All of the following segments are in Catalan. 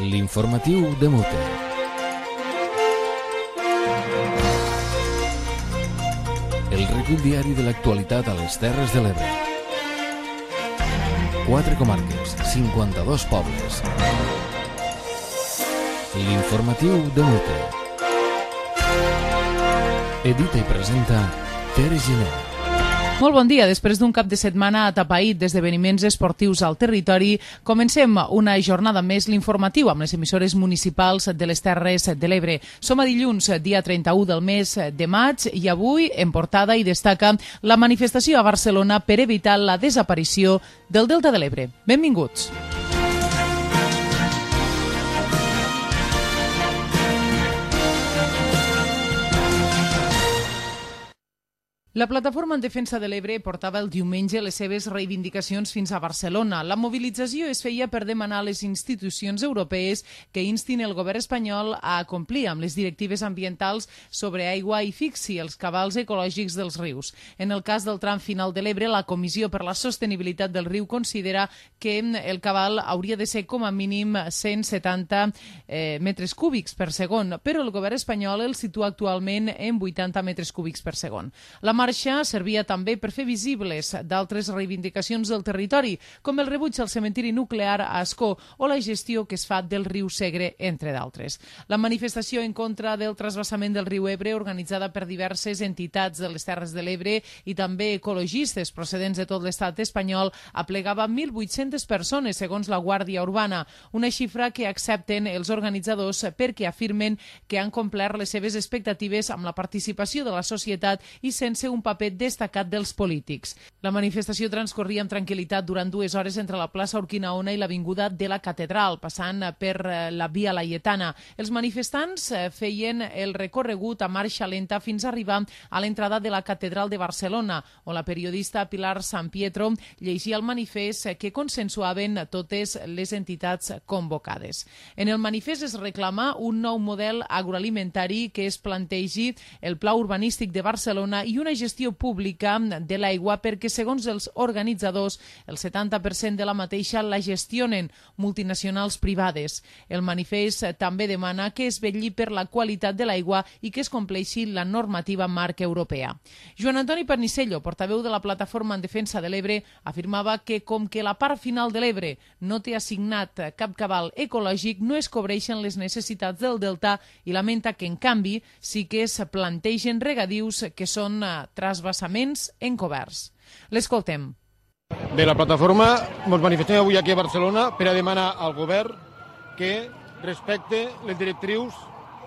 L'informatiu de Mute. El recull diari de l'actualitat a les Terres de l'Ebre. 4 comarques, 52 pobles. L'informatiu de Mute. Edita i presenta Tere Giner. Molt bon dia. Després d'un cap de setmana atapeït d'esdeveniments esportius al territori, comencem una jornada més l'informatiu amb les emissores municipals de les Terres de l'Ebre. Som a dilluns, dia 31 del mes de maig, i avui en portada hi destaca la manifestació a Barcelona per evitar la desaparició del Delta de l'Ebre. Benvinguts. La plataforma en defensa de l'Ebre portava el diumenge les seves reivindicacions fins a Barcelona. La mobilització es feia per demanar a les institucions europees que instin el govern espanyol a complir amb les directives ambientals sobre aigua i fixi els cabals ecològics dels rius. En el cas del tram final de l'Ebre, la Comissió per la Sostenibilitat del Riu considera que el cabal hauria de ser com a mínim 170 metres cúbics per segon, però el govern espanyol el situa actualment en 80 metres cúbics per segon. La marxa servia també per fer visibles d'altres reivindicacions del territori, com el rebuig al cementiri nuclear a Ascó o la gestió que es fa del riu Segre, entre d'altres. La manifestació en contra del transvasament del riu Ebre, organitzada per diverses entitats de les Terres de l'Ebre i també ecologistes procedents de tot l'estat espanyol, aplegava 1.800 persones, segons la Guàrdia Urbana, una xifra que accepten els organitzadors perquè afirmen que han complert les seves expectatives amb la participació de la societat i sense un paper destacat dels polítics. La manifestació transcorria amb tranquil·litat durant 2 hores entre la plaça Urquinaona i l'avinguda de la Catedral, passant per la Via Laietana. Els manifestants feien el recorregut a marxa lenta fins a arribar a l'entrada de la Catedral de Barcelona, on la periodista Pilar San Pietro llegia el manifest que consensuaven totes les entitats convocades. En el manifest es reclama un nou model agroalimentari que es plantegi el Pla Urbanístic de Barcelona i una gestió pública de l'aigua perquè, segons els organitzadors, el 70% de la mateixa la gestionen multinacionals privades. El manifest també demana que es vetlli per la qualitat de l'aigua i que es compleixi la normativa marc europea. Joan Antoni Pernicello, portaveu de la Plataforma en Defensa de l'Ebre, afirmava que com que la part final de l'Ebre no té assignat cap cabal ecològic, no es cobreixen les necessitats del delta i lamenta que, en canvi, sí que es plantegen regadius que són transvasaments encoberts. L'escoltem. Bé, la plataforma ens manifestem avui aquí a Barcelona per a demanar al govern que respecte les directrius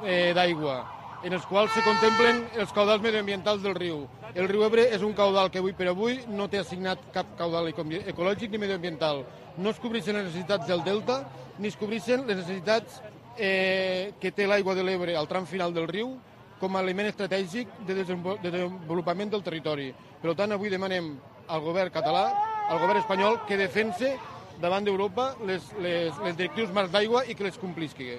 d'aigua, en els quals se contemplen els caudals mediambientals del riu. El riu Ebre és un caudal que avui per avui no té assignat cap caudal ecològic ni mediambiental. No es cobreixen les necessitats del delta ni es cobreixen les necessitats que té l'aigua de l'Ebre al tram final del riu com a element estratègic de desenvolupament del territori. Per tant, avui demanem al govern català, al govern espanyol, que defense davant d'Europa les directrius marcs d'aigua i que les complisqui.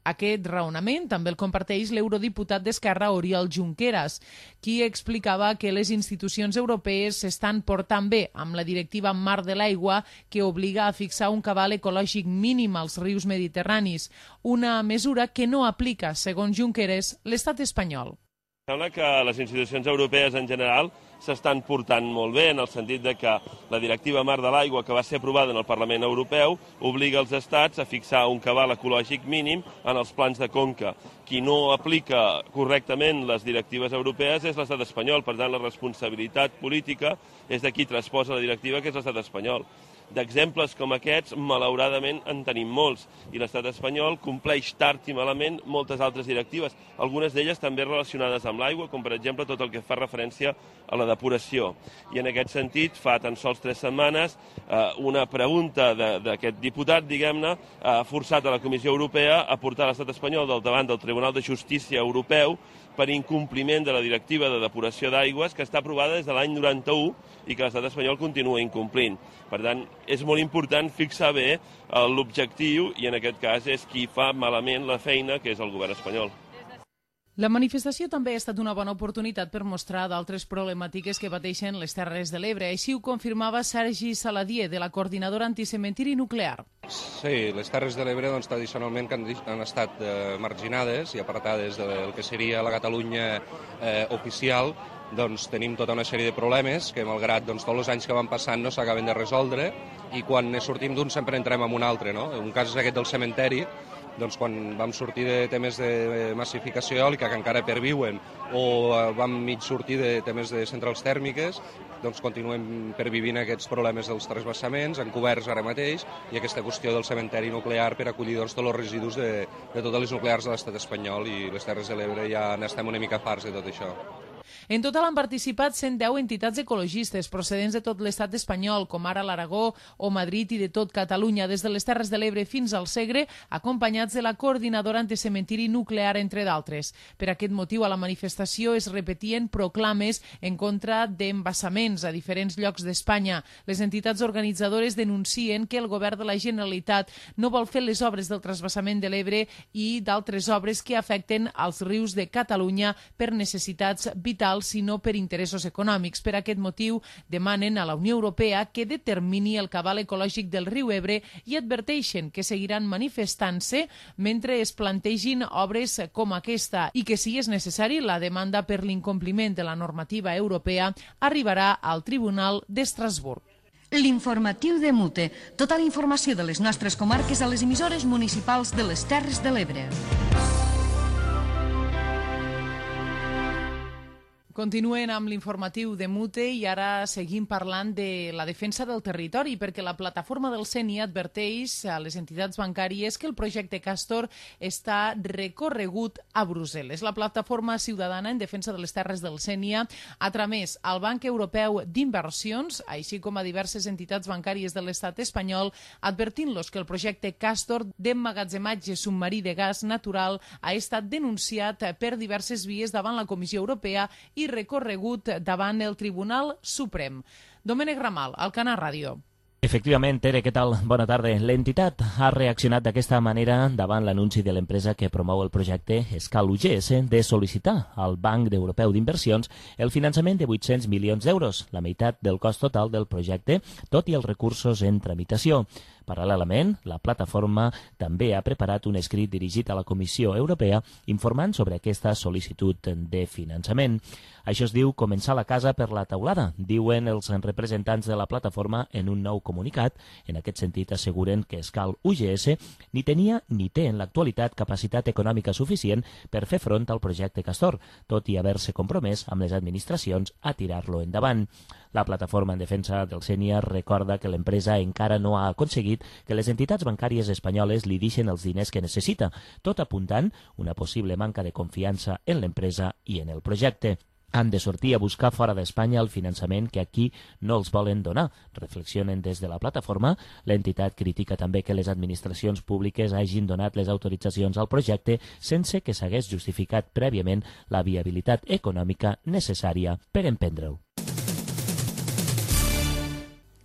Aquest raonament també el comparteix l'eurodiputat d'Esquerra Oriol Junqueras, qui explicava que les institucions europees s'estan portant bé amb la directiva marc de l'aigua que obliga a fixar un cabal ecològic mínim als rius mediterranis, una mesura que no aplica, segons Junqueras, l'estat espanyol. Sembla que les institucions europees en general s'estan portant molt bé, en el sentit de que la directiva marc de l'aigua que va ser aprovada en el Parlament Europeu obliga els estats a fixar un cabal ecològic mínim en els plans de conca. Qui no aplica correctament les directives europees és l'estat espanyol, per tant la responsabilitat política és de qui transposa la directiva, que és l'estat espanyol. D'exemples com aquests, malauradament, en tenim molts, i l'estat espanyol compleix tard i malament moltes altres directives, algunes d'elles també relacionades amb l'aigua, com per exemple tot el que fa referència a la depuració. I en aquest sentit, fa tan sols 3 setmanes, una pregunta d'aquest diputat, diguem-ne, ha forçat a la Comissió Europea a portar l'estat espanyol del davant del Tribunal de Justícia Europeu per incompliment de la directiva de depuració d'aigües que està aprovada des de l'any 91 i que l'estat espanyol continua incomplint. Per tant, és molt important fixar bé l'objectiu i en aquest cas és qui fa malament la feina, que és el govern espanyol. La manifestació també ha estat una bona oportunitat per mostrar d'altres problemàtiques que pateixen les Terres de l'Ebre. Així ho confirmava Sergi Saladier, de la Coordinadora Anticementiri Nuclear. Sí, les Terres de l'Ebre tradicionalment han estat marginades i apartades del que seria la Catalunya oficial. Tenim tota una sèrie de problemes que, malgrat tots els anys que van passant, no s'acaben de resoldre, i quan sortim d'un sempre entrem en un altre. Un cas és aquest del cementeri. Quan vam sortir de temes de massificació eòlica que encara perviuen, o vam mig sortir de temes de centrals tèrmiques, continuem pervivint aquests problemes dels transvasaments, encoberts ara mateix, i aquesta qüestió del cementeri nuclear per acollir tots els residus de totes les nuclears de l'estat espanyol, i les Terres de l'Ebre ja n'estem una mica farts de tot això. En total han participat 110 entitats ecologistes procedents de tot l'estat espanyol, com ara l'Aragó o Madrid, i de tot Catalunya, des de les Terres de l'Ebre fins al Segre, acompanyats de la Coordinadora Anticementiri Nuclear, entre d'altres. Per aquest motiu, a la manifestació es repetien proclames en contra d'embassaments a diferents llocs d'Espanya. Les entitats organitzadores denuncien que el govern de la Generalitat no vol fer les obres del transvasament de l'Ebre i d'altres obres que afecten als rius de Catalunya per necessitats vitals, sinó per interessos econòmics. Per aquest motiu, demanen a la Unió Europea que determini el cabal ecològic del riu Ebre i adverteixen que seguiran manifestant-se mentre es plantegin obres com aquesta i que, si és necessari, la demanda per l'incompliment de la normativa europea arribarà al Tribunal d'Estrasburg. L'informatiu de Mute. Tota la informació de les nostres comarques a les emissores municipals de les Terres de l'Ebre. Continuen amb l'informatiu de Mute i ara seguim parlant de la defensa del territori, perquè la plataforma del CENI adverteix a les entitats bancàries que el projecte Castor està recorregut a Brussel·les. La plataforma ciutadana en defensa de les terres del Sénia ha tramès al Banc Europeu d'Inversions, així com a diverses entitats bancàries de l'estat espanyol, advertint-los que el projecte Castor d'emmagatzematge submarí de gas natural ha estat denunciat per diverses vies davant la Comissió Europea i recorregut davant el Tribunal Suprem. Domènec Ramal, Alcanar Ràdio. Efectivament, Tere, què tal? Bona tarda. L'entitat ha reaccionat d'aquesta manera davant l'anunci de l'empresa que promou el projecte Escal UGS de sol·licitar al Banc Europeu d'Inversions el finançament de 800 milions d'euros, la meitat del cost total del projecte, tot i els recursos en tramitació. Paral·lelament, la plataforma també ha preparat un escrit dirigit a la Comissió Europea informant sobre aquesta sol·licitud de finançament. Això es diu començar la casa per la teulada, diuen els representants de la plataforma en un nou comunicat. En aquest sentit, asseguren que Escal UGS ni tenia ni té en l'actualitat capacitat econòmica suficient per fer front al projecte Castor, tot i haver-se compromès amb les administracions a tirar-lo endavant. La plataforma en defensa del Sénia recorda que l'empresa encara no ha aconseguit que les entitats bancàries espanyoles li deixin els diners que necessita, tot apuntant una possible manca de confiança en l'empresa i en el projecte. Han de sortir a buscar fora d'Espanya el finançament que aquí no els volen donar, reflexionen des de la plataforma. L'entitat critica també que les administracions públiques hagin donat les autoritzacions al projecte sense que s'hagués justificat prèviament la viabilitat econòmica necessària per emprendre'l.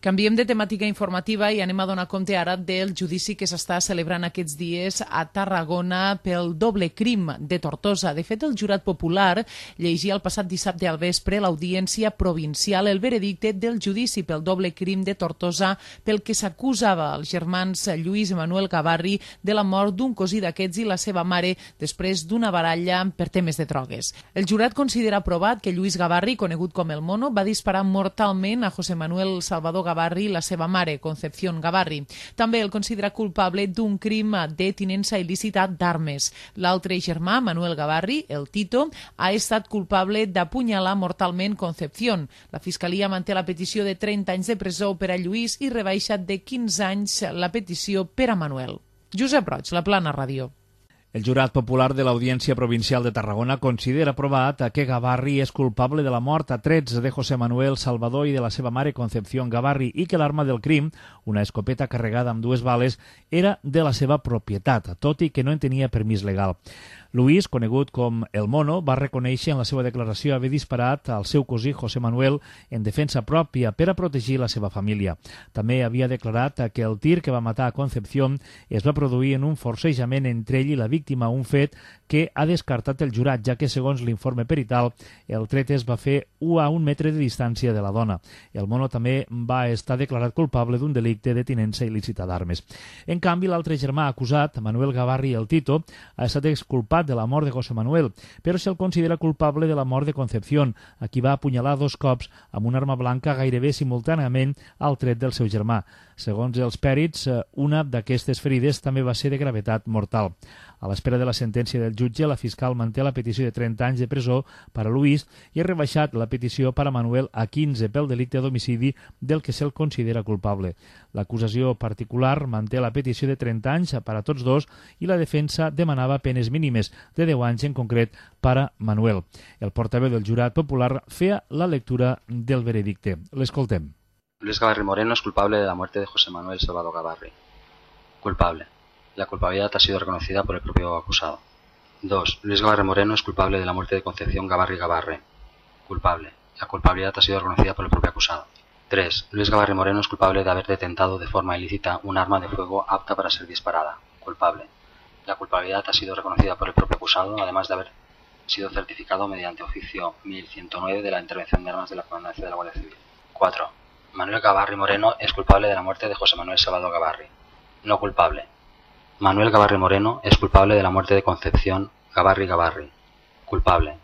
Canviem de temàtica informativa i anem a donar compte ara del judici que s'està celebrant aquests dies a Tarragona pel doble crim de Tortosa. De fet, el jurat popular llegia el passat dissabte al vespre l'audiència provincial el veredicte del judici pel doble crim de Tortosa pel que s'acusava els germans Lluís i Manuel Gavarri de la mort d'un cosí d'aquests i la seva mare després d'una baralla per temes de drogues. El jurat considera provat que Lluís Gavarri, conegut com el Mono, va disparar mortalment a José Manuel Salvador Gavarri i la seva mare, Concepción Gavarri. També el considera culpable d'un crim de tinença il·lícita d'armes. L'altre germà, Manuel Gavarri, el Tito, ha estat culpable d'apunyalar mortalment Concepción. La Fiscalia manté la petició de 30 anys de presó per a Lluís i rebaixa de 15 anys la petició per a Manuel. Josep Roig, La Plana Ràdio. El jurat popular de l'Audiència Provincial de Tarragona considera provat que Gavarri és culpable de la mort a trets de José Manuel Salvador i de la seva mare Concepción Gavarri i que l'arma del crim, una escopeta carregada amb 2 bales, era de la seva propietat, tot i que no en tenia permís legal. Luis, conegut com el Mono, va reconèixer en la seva declaració haver disparat al seu cosí José Manuel en defensa pròpia per a protegir la seva família. També havia declarat que el tir que va matar a Concepción es va produir en un forcejament entre ell i la víctima víctima, un fet que ha descartat el jurat, ja que, segons l'informe perital, el tret es va fer a 1 metre de distància de la dona. El mono també va estar declarat culpable d'un delicte de tinença il·lícita d'armes. En canvi, l'altre germà acusat, Manuel Gavarri el Tito, ha estat exculpat de la mort de José Manuel, però se'l considera culpable de la mort de Concepción, a qui va apunyalar 2 cops amb una arma blanca gairebé simultàniament al tret del seu germà. Segons els pèrits, una d'aquestes ferides també va ser de gravetat mortal. A l'espera de la sentència del jutge, la fiscal manté la petició de 30 anys de presó per a Luis i ha rebaixat la petició per a Manuel a 15 pel delicte d'homicidi del que se'l considera culpable. L'acusació particular manté la petició de 30 anys per a tots dos i la defensa demanava penes mínimes de 10 anys en concret per a Manuel. El portaveu del jurat popular feia la lectura del veredicte. L'escoltem. Luis Gavarri Moreno es culpable de la muerte de José Manuel Salvador Gavarri. Culpable. La culpabilidad ha sido reconocida por el propio acusado. 2. Luis Gavarri Moreno es culpable de la muerte de Concepción Gavarri Gavarre. Culpable. La culpabilidad ha sido reconocida por el propio acusado. 3. Luis Gavarri Moreno es culpable de haber detentado de forma ilícita un arma de fuego apta para ser disparada. Culpable. La culpabilidad ha sido reconocida por el propio acusado, además de haber sido certificado mediante oficio 1109 de la intervención de armas de la Comandancia de la Guardia Civil. 4. Manuel Gavarri Moreno es culpable de la muerte de José Manuel Salvador Gavarri. No culpable. Manuel Gavarri Moreno es culpable de la muerte de Concepción Gavarri Gavarri. Culpable.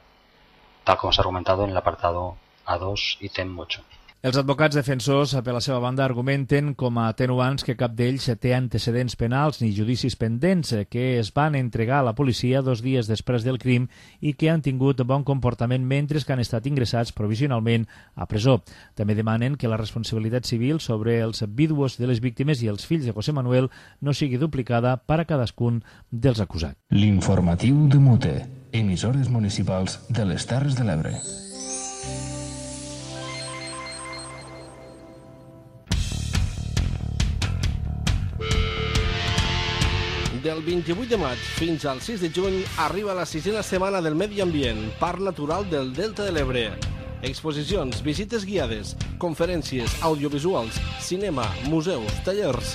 Tal como se ha argumentado en el apartado A2, ítem 8. Els advocats defensors, per la seva banda, argumenten com a atenuants que cap d'ells té antecedents penals ni judicis pendents, que es van entregar a la policia 2 dies després del crim i que han tingut bon comportament mentre que han estat ingressats provisionalment a presó. També demanen que la responsabilitat civil sobre els víduos de les víctimes i els fills de José Manuel no sigui duplicada per a cadascun dels acusats. L'informatiu de Mute, emissores municipals de les Terres de l'Ebre. Del 28 de maig fins al 6 de juny arriba la 6a setmana del Medi Ambient, Parc Natural del Delta de l'Ebre. Exposicions, visites guiades, conferències, audiovisuals, cinema, museus, tallers.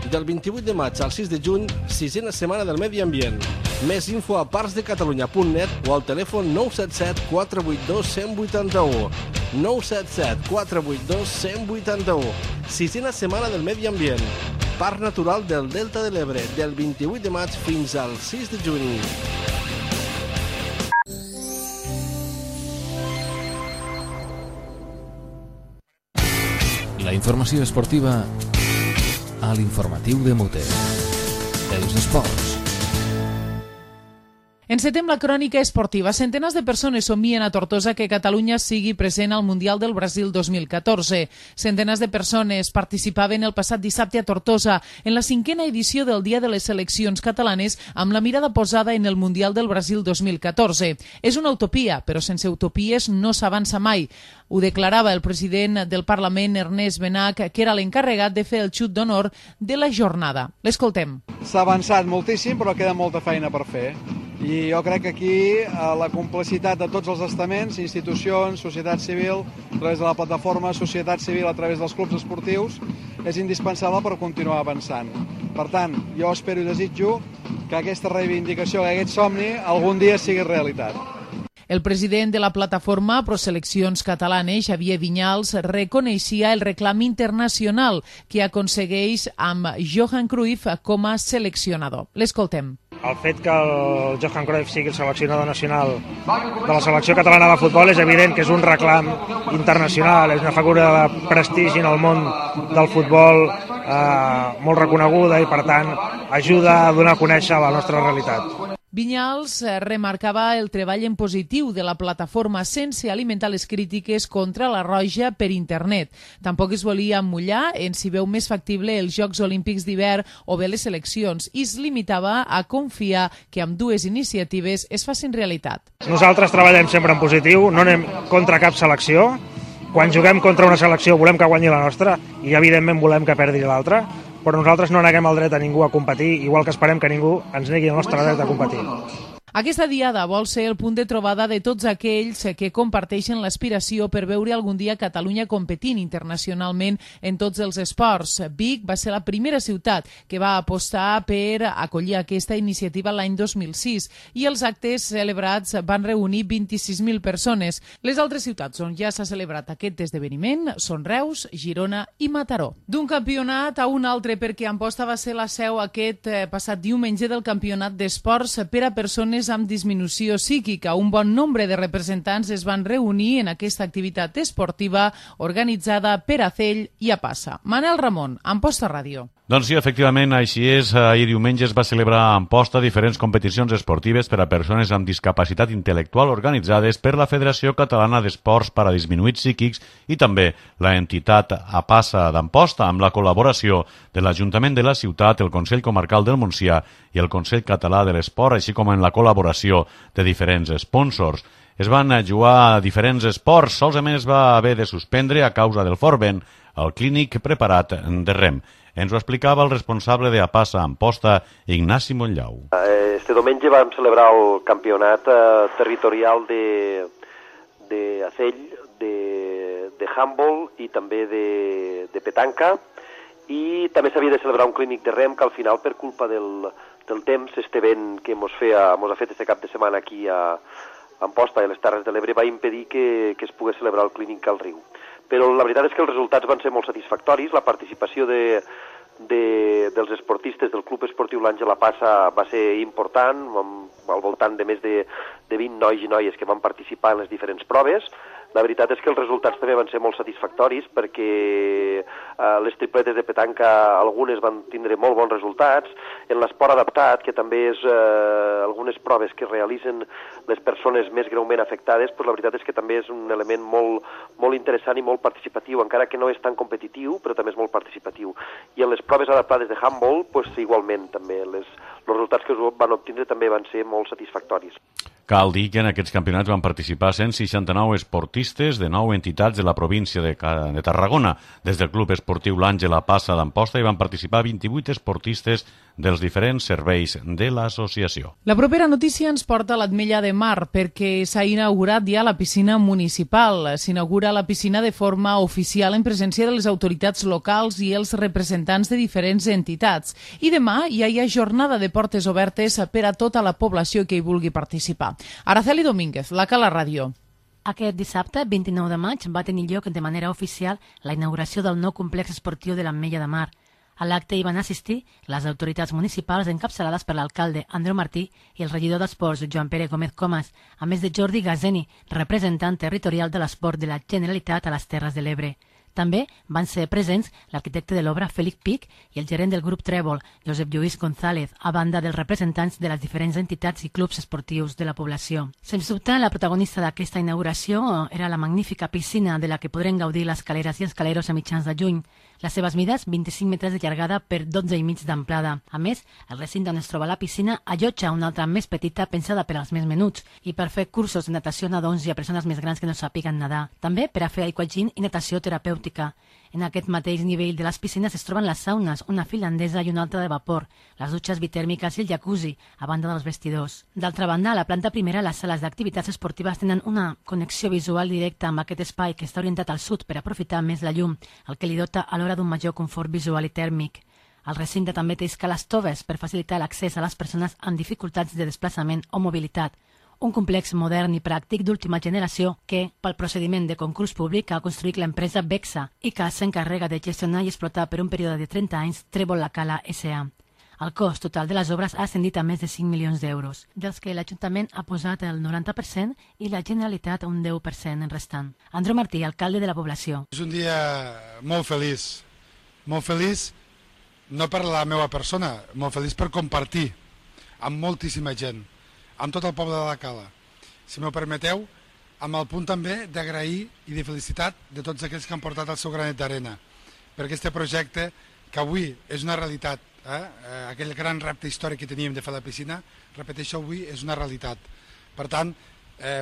Del 28 de maig al 6 de juny, 6a setmana del Medi Ambient. Més info a parcsdecatalunya.net o al telèfon 977 482 181. 977 482 181. 6a setmana del Medi Ambient. Parc Natural del Delta de l'Ebre, del 28 de maig fins al 6 de juny. La informació esportiva a l'informatiu de Mute. Els esports. Encetem la crònica esportiva. Centenars de persones somien a Tortosa que Catalunya sigui present al Mundial del Brasil 2014. Centenars de persones participaven el passat dissabte a Tortosa en la 5a edició del Dia de les Seleccions Catalanes amb la mirada posada en el Mundial del Brasil 2014. És una utopia, però sense utopies no s'avança mai. Ho declarava el president del Parlament, Ernest Benach, que era l'encarregat de fer el xut d'honor de la jornada. L'escoltem. S'ha avançat moltíssim, però queda molta feina per fer. I jo crec que aquí la complicitat de tots els estaments, institucions, societat civil, a través de la plataforma, societat civil a través dels clubs esportius, és indispensable per continuar avançant. Per tant, jo espero i desitjo que aquesta reivindicació, que aquest somni, algun dia sigui realitat. El president de la plataforma Proseleccions Catalanes, Xavier Vinyals, reconeixia el reclam internacional que aconsegueix amb Johan Cruyff com a seleccionador. L'escoltem. El fet que el Johan Cruyff sigui el seleccionador nacional de la selecció catalana de futbol és evident que és un reclam internacional, és una figura de prestigi en el món del futbol molt reconeguda i, per tant, ajuda a donar a conèixer la nostra realitat. Vinyals remarcava el treball en positiu de la plataforma sense alimentar les crítiques contra la Roja per internet. Tampoc es volia mullar en si veu més factible els Jocs Olímpics d'hivern o bé les eleccions i es limitava a confiar que amb dues iniciatives es facin realitat. Nosaltres treballem sempre en positiu, no anem contra cap selecció. Quan juguem contra una selecció volem que guanyi la nostra i evidentment volem que perdi l'altra, però nosaltres no neguem el dret a ningú a competir, igual que esperem que ningú ens negui el nostre dret a competir. Aquesta diada vol ser el punt de trobada de tots aquells que comparteixen l'aspiració per veure algun dia Catalunya competint internacionalment en tots els esports. Vic va ser la primera ciutat que va apostar per acollir aquesta iniciativa l'any 2006 i els actes celebrats van reunir 26.000 persones. Les altres ciutats on ja s'ha celebrat aquest esdeveniment són Reus, Girona i Mataró. D'un campionat a un altre, perquè Amposta va ser la seu aquest passat diumenge del campionat d'esports per a persones amb disminució psíquica. Un bon nombre de representants es van reunir en aquesta activitat esportiva organitzada per Acell i Apassa. Manel Ramon, Amposta Ràdio. Doncs sí, efectivament, així és. Ahir diumenge es va celebrar a Amposta diferents competicions esportives per a persones amb discapacitat intel·lectual organitzades per la Federació Catalana d'Esports per a Disminuïts Psíquics i també la entitat Apassa d'Amposta amb la col·laboració de l'Ajuntament de la ciutat, el Consell Comarcal del Montsià i el Consell Català de l'Esport, així com en la col·laboració de diferents sponsors. Es van jugar diferents esports, solament es va haver de suspendre a causa del fort vent el clínic preparat de rem. Ens ho explicava el responsable de Apassa Amposta, Ignasi Montllau. Este diumenge vam celebrar el campionat territorial d'Acell, de handball i també de petanca, i també s'havia de celebrar un clínic de rem que al final, per culpa del temps, este vent que mos ha fet este cap de setmana aquí a Amposta i a les Terres de l'Ebre, va impedir que es pogués celebrar el clínic al riu. Però la veritat és que els resultats van ser molt satisfactoris. La participació dels esportistes del Club Esportiu l'Àngel Apassa va ser important, al voltant de més de 20 nois i noies que van participar en les diferents proves. La veritat és que els resultats també van ser molt satisfactoris perquè les tripletes de petanca, algunes van tindre molt bons resultats. En l'esport adaptat, que també és algunes proves que realitzen les persones més greument afectades, la veritat és que també és un element molt interessant i molt participatiu, encara que no és tan competitiu, però també és molt participatiu. I en les proves adaptades de handball, igualment també, els resultats que es van obtindre també van ser molt satisfactoris. Cal dir que en aquests campionats van participar 169 esportistes de 9 entitats de la província de Tarragona. Des del Club Esportiu l'Àngel Apassa d'Amposta hi van participar 28 esportistes dels diferents serveis de l'associació. La propera notícia ens porta a l'Ametlla de Mar perquè s'ha inaugurat ja la piscina municipal. S'inaugura la piscina de forma oficial en presència de les autoritats locals i els representants de diferents entitats. I demà ja hi ha jornada de portes obertes per a tota la població que hi vulgui participar. Araceli Domínguez, la Cala Ràdio. Aquest dissabte, 29 de maig, va tenir lloc de manera oficial la inauguració del nou complex esportiu de l'Ametlla de Mar. A l'acte hi van assistir les autoritats municipals encapçalades per l'alcalde Andreu Martí i el regidor d'Esports Joan Pere Gómez Comas, a més de Jordi Gazeni, representant territorial de l'esport de la Generalitat a les Terres de l'Ebre. També van ser presents l'arquitecte de l'obra Fèlix Pic i el gerent del grup Trèvol, Josep Lluís González, a banda dels representants de les diferents entitats i clubs esportius de la població. Sens dubte, la protagonista d'aquesta inauguració era la magnífica piscina de la que podrem gaudir les caleres i escaleros a mitjans de juny. Les seves mides, 25 metres de llargada per 12,5 d'amplada. A més, el recinte on es troba la piscina allotja una altra més petita pensada per als més menuts i per fer cursos de natació a nadons i a persones més grans que no sàpiguen nedar. També per a fer aquagym i natació terapèutica. En aquest mateix nivell de les piscines es troben les saunes, una finlandesa i una altra de vapor, les dutxes bitèrmiques i el jacuzzi, a banda dels vestidors. D'altra banda, a la planta primera, les sales d'activitats esportives tenen una connexió visual directa amb aquest espai que està orientat al sud per aprofitar més la llum, el que li dota alhora d'un major confort visual i tèrmic. El recinte també té escales toves per facilitar l'accés a les persones amb dificultats de desplaçament o mobilitat. Un complex modern i pràctic d'última generació que, pel procediment de concurs públic, ha construït l'empresa Bexa i que s'encarrega de gestionar i explotar per un període de 30 anys Trèvol La Cala S.A. El cost total de les obres ha ascendit a més de 5 milions d'euros, dels que l'Ajuntament ha posat el 90% i la Generalitat un 10% en restant. Andreu Martí, alcalde de la població. És un dia molt feliç no per la meva persona, molt feliç per compartir amb moltíssima gent, amb tot el poble de la Cala. Si m'ho permeteu, amb el punt també d'agrair i de felicitat de tots aquells que han portat el seu granet d'arena per aquest projecte que avui és una realitat. Aquell gran repte històric que teníem de fer la piscina, repeteixo, avui és una realitat. Per tant,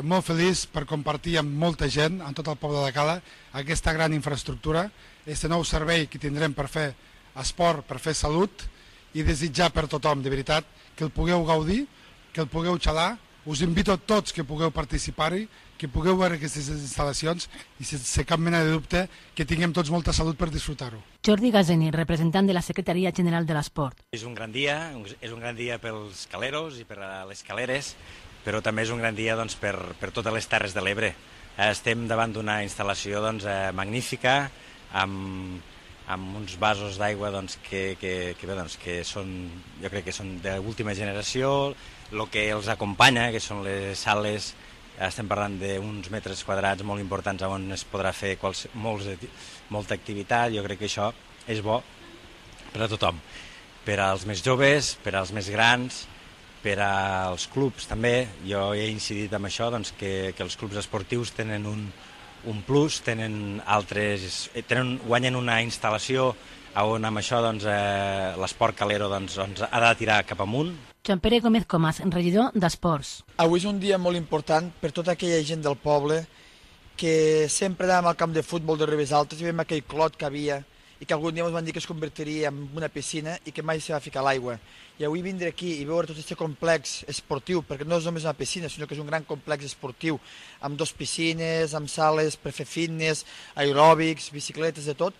molt feliç per compartir amb molta gent, amb tot el poble de la Cala, aquesta gran infraestructura, aquest nou servei que tindrem per fer esport, per fer salut, i desitjar per tothom, de veritat, que el pugueu gaudir que el pugueu xalar. Us invito a tots que pugueu participar-hi, que pugueu veure aquestes instal·lacions i sense cap mena de dubte que tinguem tots molta salut per disfrutar-ho. Jordi Gazeni, representant de la Secretaria General de l'Esport. És un gran dia pels caleros i per a les caleres, però també és un gran dia doncs, per totes les Terres de l'Ebre. Estem davant d'una instal·lació magnífica, amb uns vasos d'aigua que són, jo crec que són d'última generació. El que els acompanya, que són les sales, estem parlant d'uns metres quadrats molt importants on es podrà fer molta activitat. Jo crec que això és bo per a tothom, per als més joves, per als més grans, per als clubs també. Jo he incidit en això, doncs, que els clubs esportius tenen un plus, guanyen una instal·lació on amb això l'esport calero ha de tirar cap amunt. Joan Pere Gómez Comas, regidor d'Esports. Avui és un dia molt important per tota aquella gent del poble que sempre anàvem al camp de futbol de Ribes Altes i veiem aquell clot que havia i que algun dia ens van dir que es convertiria en una piscina i que mai s'hi va ficar l'aigua. I avui vindre aquí i veure tot aquest complex esportiu, perquè no és només una piscina, sinó que és un gran complex esportiu, amb 2 piscines, amb sales per fer fitness, aeròbics, bicicletes, de tot,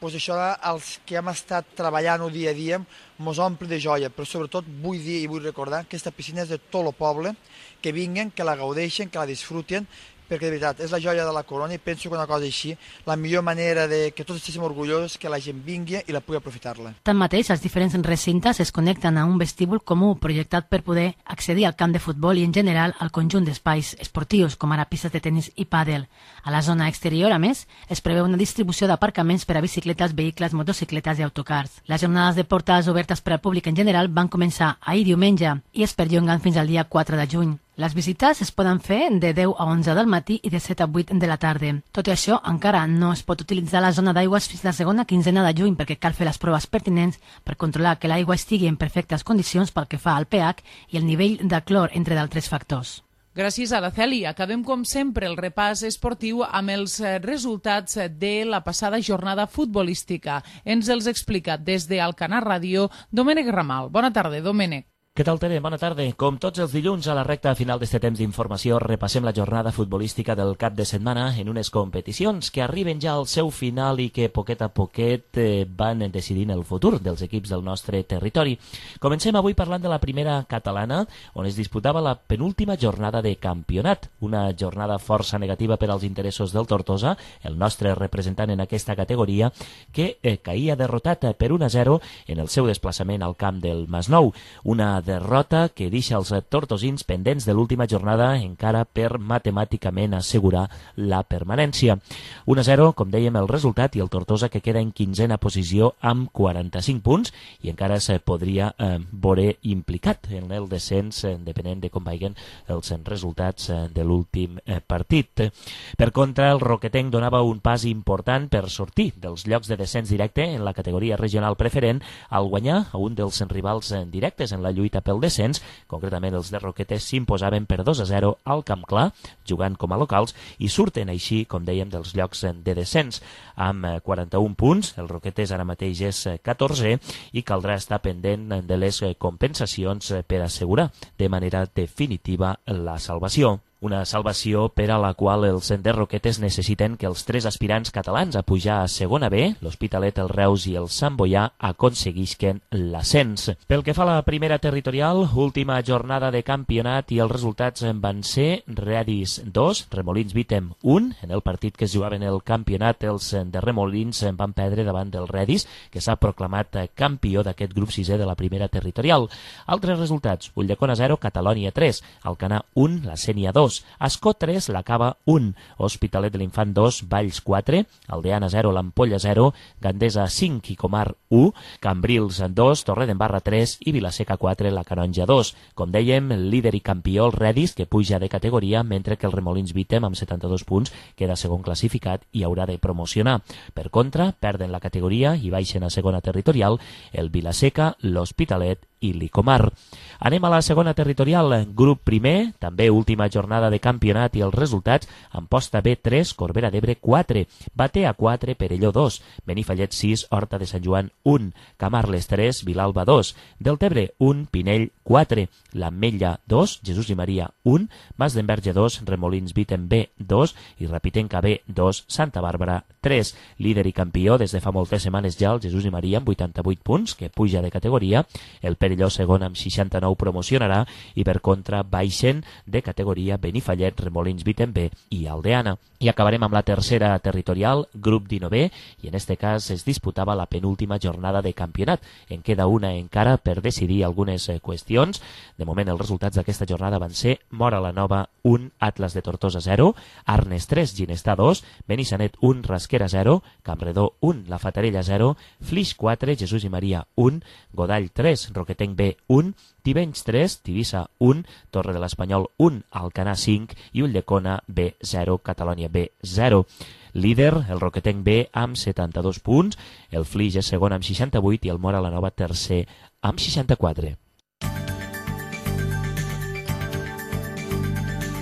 doncs això els que hem estat treballant-ho dia a dia mos omple de joia, però sobretot vull dir i vull recordar que aquesta piscina és de tot el poble, que vinguen, que la gaudeixen, que la disfruten, perquè de veritat és la joia de la corona i penso que una cosa així, la millor manera de que tots estiguem orgullosos és que la gent vingui i la pugui aprofitar-la. Tanmateix, els diferents recintes es connecten a un vestíbul comú projectat per poder accedir al camp de futbol i en general al conjunt d'espais esportius, com ara pistes de tenis i pàdel. A la zona exterior, a més, es preveu una distribució d'aparcaments per a bicicletes, vehicles, motocicletes i autocars. Les jornades de portades obertes per al públic en general van començar ahir diumenge i es perllonguen fins al dia 4 de juny. Les visites es poden fer de 10 a 11 del matí i de 7 a 8 de la tarda. Tot i això, encara no es pot utilitzar la zona d'aigües fins la segona quinzena de juny perquè cal fer les proves pertinents per controlar que l'aigua estigui en perfectes condicions pel que fa al pH i el nivell de clor, entre d'altres factors. Gràcies, Araceli. Acabem, com sempre, el repàs esportiu amb els resultats de la passada jornada futbolística. Ens els explica des d'Alcanar Ràdio Domènec Ramal. Bona tarda, Domènec. Què tal, Tere? Bona tarda. Com tots els dilluns, a la recta final d'este temps d'informació, repassem la jornada futbolística del cap de setmana en unes competicions que arriben ja al seu final i que poquet a poquet van decidint el futur dels equips del nostre territori. Comencem avui parlant de la primera catalana, on es disputava la penúltima jornada de campionat. Una jornada força negativa per als interessos del Tortosa, el nostre representant en aquesta categoria, que caïa derrotat per 1-0 en el seu desplaçament al camp del Masnou. Una derrota que deixa els tortosins pendents de l'última jornada encara per matemàticament assegurar la permanència. 1-0, com dèiem, el resultat, i el Tortosa que queda en 15a posició amb 45 punts i encara se podria veure implicat en el descens depenent de com vagin els resultats de l'últim partit. Per contra, el Roquetenc donava un pas important per sortir dels llocs de descens directe en la categoria regional preferent al guanyar a un dels rivals directes en la lluita pel descens. Concretament, els de Roquetes s'imposaven per 2-0 al Camp Clar, jugant com a locals, i surten així, com dèiem, dels llocs de descens. Amb 41 punts, el Roquetes ara mateix és 14 i caldrà estar pendent de les compensacions per assegurar de manera definitiva la salvació. Una salvació per a la qual els de Roquetes necessiten que els 3 aspirants catalans a pujar a segona B, l'Hospitalet, el Reus i el Sant Boià, aconseguisquen l'ascens. Pel que fa a la primera territorial, última jornada de campionat i els resultats van ser Redis 2, Remolins Vítem 1. En el partit que es jugaven el campionat, els de Remolins van perdre davant del Redis, que s'ha proclamat campió d'aquest grup 6è de la primera territorial. Altres resultats: Ulldecona 0, Catalònia 3, Alcanar 1, la Sénia 2, Ascó 3, la Cava 1, Hospitalet de l'Infant 2, Valls 4, Aldeana 0, l'Ampolla 0, Gandesa 5 i Comar 1, Cambrils 2, Torredembarra 3 i Vilaseca 4, la Canonja 2. Com dèiem, líder i campió el Redis, que puja de categoria, mentre que el Remolins Vítem, amb 72 punts, queda segon classificat i haurà de promocionar. Per contra, perden la categoria i baixen a segona territorial el Vilaseca, l'Hospitalet i l'Icomar. Anem a la segona territorial, grup primer, també última jornada de campionat i els resultats: Amposta B 3, Corbera d'Ebre 4, Batea 4, Perelló 2, Benifallet 6, Horta de Sant Joan 1, Camarles 3, Vilalba 2, Deltebre 1, Pinell 4, l'Ametlla 2, Jesús i Maria 1, Mas d'Enverge 2, Remolins Viten B 2 i Rapitenca B 2, Santa Bàrbara 3. Líder i campió des de fa moltes setmanes ja el Jesús i Maria amb 88 punts, que puja de categoria. El Perelló segon amb 69 promocionarà i per contra baixen de categoria Benifallet, Remolins Viten B i Aldeana. I acabarem amb la tercera territorial, grup 19, i en este cas es disputava la penúltima jornada de campionat. En queda una encara per decidir algunes qüestions. De moment els resultats d'aquesta jornada van ser Móra la Nova 1, Atlas de Tortosa 0, Arnes 3, Ginestar 2, Benissanet 1, Rasquera 0, Campredó 1, La Fatarella 0, Flix 4, Jesús i Maria 1, Godall 3, Roquetenc B 1, Tivenys 3, Tivissa 1, Torre de l'Espanyol 1, Alcanar 5 i Ulldecona B 0, Catalònia B 0. Líder, el Roquetenc B amb 72 punts, el Flix és segon amb 68 i el Móra la Nova tercer amb 64.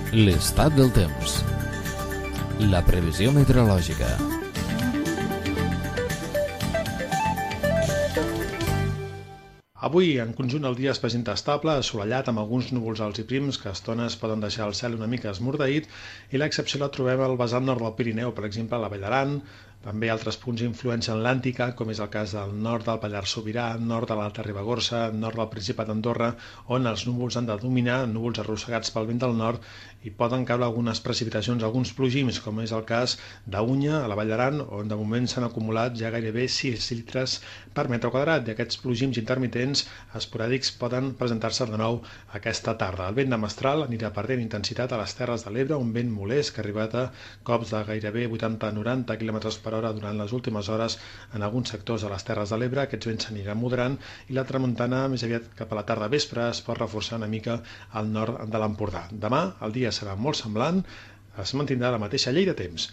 L'estat del temps. La previsió meteorològica. Avui, en conjunt, el dia es presenta estable, assolellat, amb alguns núvols alts i prims que a estones poden deixar el cel una mica esmorteït, i l'excepció la trobem al vessant nord del Pirineu, per exemple, a la Vall d'Aran, també altres punts d'influència atlàntica, com és el cas del nord del Pallars Sobirà, nord de l'Alta Ribagorça, nord del Principat d'Andorra, on els núvols han de dominar, núvols arrossegats pel vent del nord, i poden caure algunes precipitacions, alguns plogims, com és el cas d'Unya, a la Vall d'Aran, on de moment s'han acumulat ja gairebé 6 litres per metre quadrat, i aquests plogims intermitents esporàdics poden presentar-se de nou aquesta tarda. El vent de mestral anirà perdent intensitat a les Terres de l'Ebre, un vent molest que ha arribat a cops de gairebé 80-90 km per hora durant les últimes hores en alguns sectors de les Terres de l'Ebre. Aquests vents s'aniran moderant i la tramuntana més aviat cap a la tarda vespre es pot reforçar una mica al nord de l'Empordà. Demà el dia serà molt semblant, es mantindrà la mateixa llei de temps.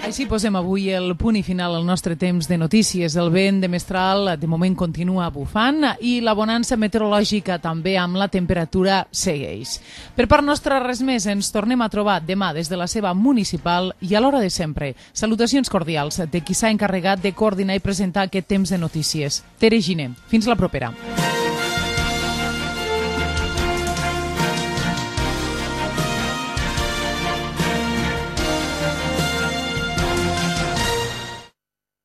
Així posem avui el punt i final al nostre temps de notícies. El vent de mestral de moment continua bufant i la bonança meteorològica també amb la temperatura segueix. Per part nostra res més, ens tornem a trobar demà des de la seva municipal i a l'hora de sempre. Salutacions cordials de qui s'ha encarregat de coordinar i presentar aquest temps de notícies. Tere Giner, fins la propera.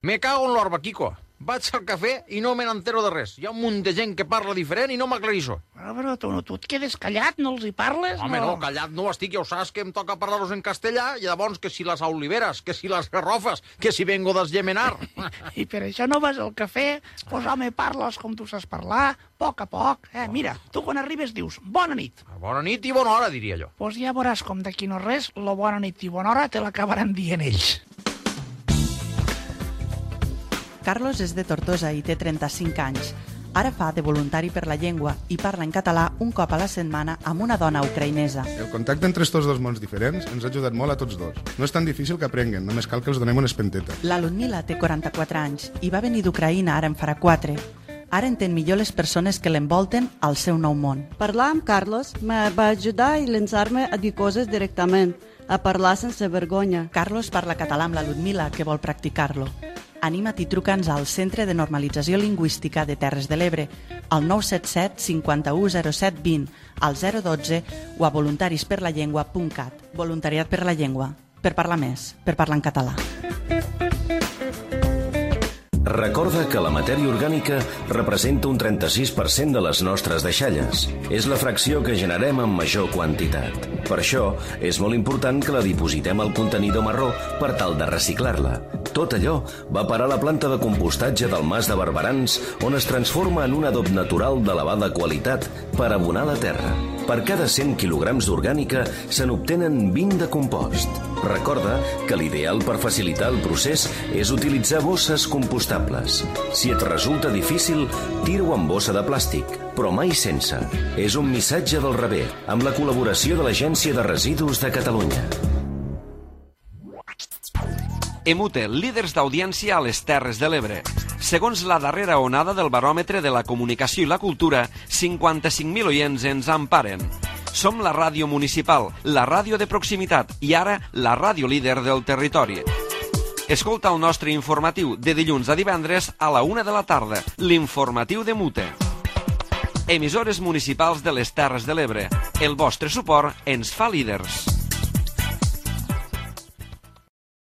Me cago en l'orba, Quico. Vaig al cafè i no me n'entero de res. Hi ha un munt de gent que parla diferent i no m'aclarisso. Però tu et quedes callat, no els hi parles? Home, no, callat no estic, ja ho saps que em toca parlar-los en castellà, i llavors que si les oliveres, que si les garrofes, que si vengo d'esgemenar. I per això no vas al cafè? Pues home, parles com tu saps parlar, a poc. Mira, tu quan arribes dius bona nit. Bona nit i bona hora, diria jo. Pues ja veuràs com d'aquí no res, la bona nit i bona hora te l'acabaran dient ells. Carlos és de Tortosa i té 35 anys. Ara fa de voluntari per la llengua i parla en català un cop a la setmana amb una dona ucraïnesa. El contacte entre estos dos mons diferents ens ha ajudat molt a tots dos. No és tan difícil que aprenguen, només cal que els donem una espenteta. La Ludmila té 44 anys i va venir d'Ucraïna ara en farà 4. Ara entén millor les persones que l'envolten al seu nou món. Parlar amb Carlos me va ajudar i llançar-me a dir coses directament, a parlar sense vergonya. Carlos parla català amb la Ludmila, que vol practicar-lo. Anima't i truca'ns al Centre de Normalització Lingüística de Terres de l'Ebre, al 977 51 07 20, al 012 o a voluntarisperlallengua.cat. Voluntariat per la llengua. Per parlar més, per parlar en català. Recorda que la matèria orgànica representa un 36% de les nostres deixalles. És la fracció que generem en major quantitat. Per això, és molt important que la dipositem al contenidor marró per tal de reciclar-la. Tot allò va parar a la planta de compostatge del Mas de Barberans, on es transforma en un adob natural d'elevada qualitat per abonar la terra. Per cada 100 quilograms d'orgànica se n'obtenen 20 de compost. Recorda que l'ideal per facilitar el procés és utilitzar bosses compostables. Si et resulta difícil, tira-ho en bossa de plàstic, però mai sense. És un missatge del Rebé, amb la col·laboració de l'Agència de Residus de Catalunya. Emute, líders d'audiència a les Terres de l'Ebre. Segons la darrera onada del baròmetre de la comunicació i la cultura, 55.000 oients ens emparen. Som la ràdio municipal, la ràdio de proximitat i ara la ràdio líder del territori. Escolta el nostre informatiu de dilluns a divendres a la 1 de la tarda, l'informatiu de Mute. Emissores municipals de les Terres de l'Ebre. El vostre suport ens fa líders.